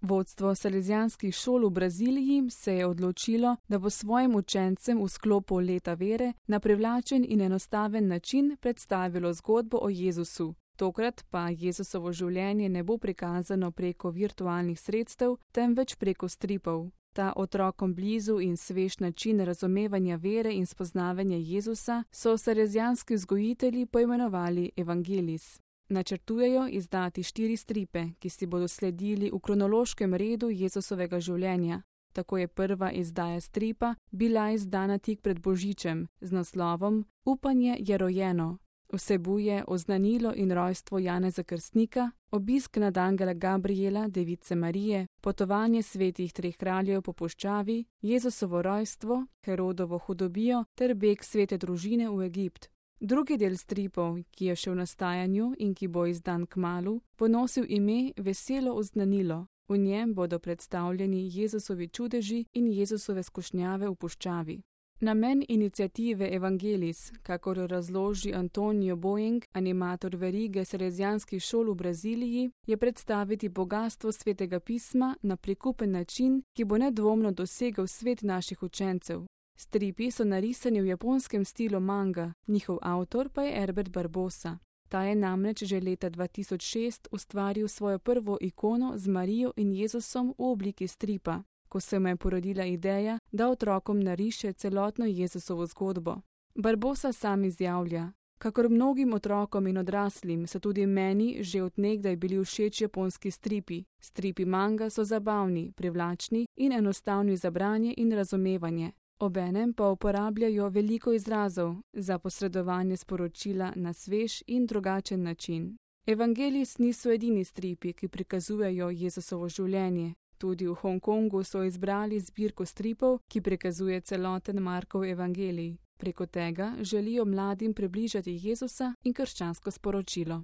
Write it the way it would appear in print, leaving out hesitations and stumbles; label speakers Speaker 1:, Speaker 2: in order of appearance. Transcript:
Speaker 1: Vodstvo salezijanskih šol v Braziliji se je odločilo, da bo svojim učencem v sklopu leta vere na privlačen in enostaven način predstavilo zgodbo o Jezusu. Tokrat pa Jezusovo življenje ne bo prikazano preko virtualnih sredstev, temveč preko stripov. Ta otrokom blizu in svež način razumevanja vere in spoznavanja Jezusa so salezijanski vzgojitelji poimenovali Evangelis. Načrtujejo izdati 4 stripe, ki si bodo sledili v kronološkem redu Jezusovega življenja. Tako je prva izdaja stripa bila izdana tik pred Božičem z naslovom Upanje je rojeno. Vsebuje oznanilo in rojstvo Janeza Krstnika, obisk nad angela Gabriela, device Marije, potovanje svetih 3 kraljev po puščavi, Jezusovo rojstvo, Herodovo hudobijo ter beg svete družine v Egipt. Drugi del stripov, ki je še v nastajanju in ki bo izdan kmalu, bo nosil ime Veselo oznanilo. V njem bodo predstavljeni Jezusovi čudeži in Jezusove skušnjave v puščavi. Namen iniciative Evangelis, kakor razloži Antonio Boeing, animator verige salezijanskih šol v Braziliji, je predstaviti bogastvo svetega pisma na prikupen način, ki bo nedvomno dosegel svet naših učencev. Stripi so narisani v japonskem stilu manga, njihov avtor pa je Herbert Barbosa. Ta je namreč že leta 2006 ustvaril svojo prvo ikono z Marijo in Jezusom v obliki stripa, ko se mu je porodila ideja, da otrokom nariše celotno Jezusovo zgodbo. Barbosa sam izjavlja: kakor mnogim otrokom in odraslim so tudi meni že od nekdaj bili všeč japonski stripi. Stripi manga so zabavni, privlačni in enostavni za branje in razumevanje. Obenem pa uporabljajo veliko izrazov za posredovanje sporočila na svež in drugačen način. Evangelis niso edini stripi, ki prikazujejo Jezusovo življenje. Tudi v Hongkongu so izbrali zbirko stripov, ki prikazuje celoten Markov evangelij. Preko tega želijo mladim približati Jezusa in krščansko sporočilo.